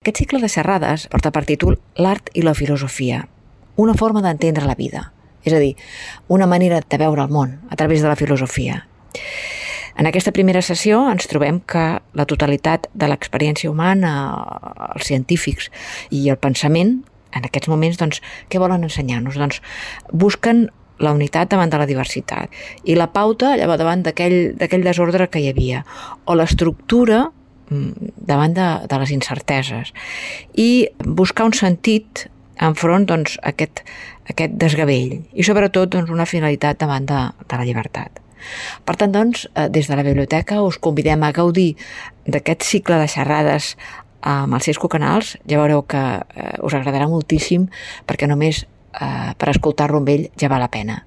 Aquest cicle de xerrades porta per títol L'art i la filosofia, una forma d'entendre la vida, és a dir, una manera de veure el món a través de la filosofia. En aquesta primera sessió ens trobem que la totalitat de l'experiència humana, els científics i el pensament, en aquests moments, doncs, què volen ensenyar-nos? Doncs busquen la unitat davant de la diversitat i la pauta davant d'aquell desordre que hi havia, o l'estructura davant de les incerteses, i buscar un sentit enfront a aquest desgavell i sobretot una finalitat davant de la llibertat. Per tant, des de la biblioteca us convidem a gaudir d'aquest cicle de xerrades amb els Cisco Canals. Ja veureu que us agradarà moltíssim, perquè només per escoltar-lo amb ell ja val la pena.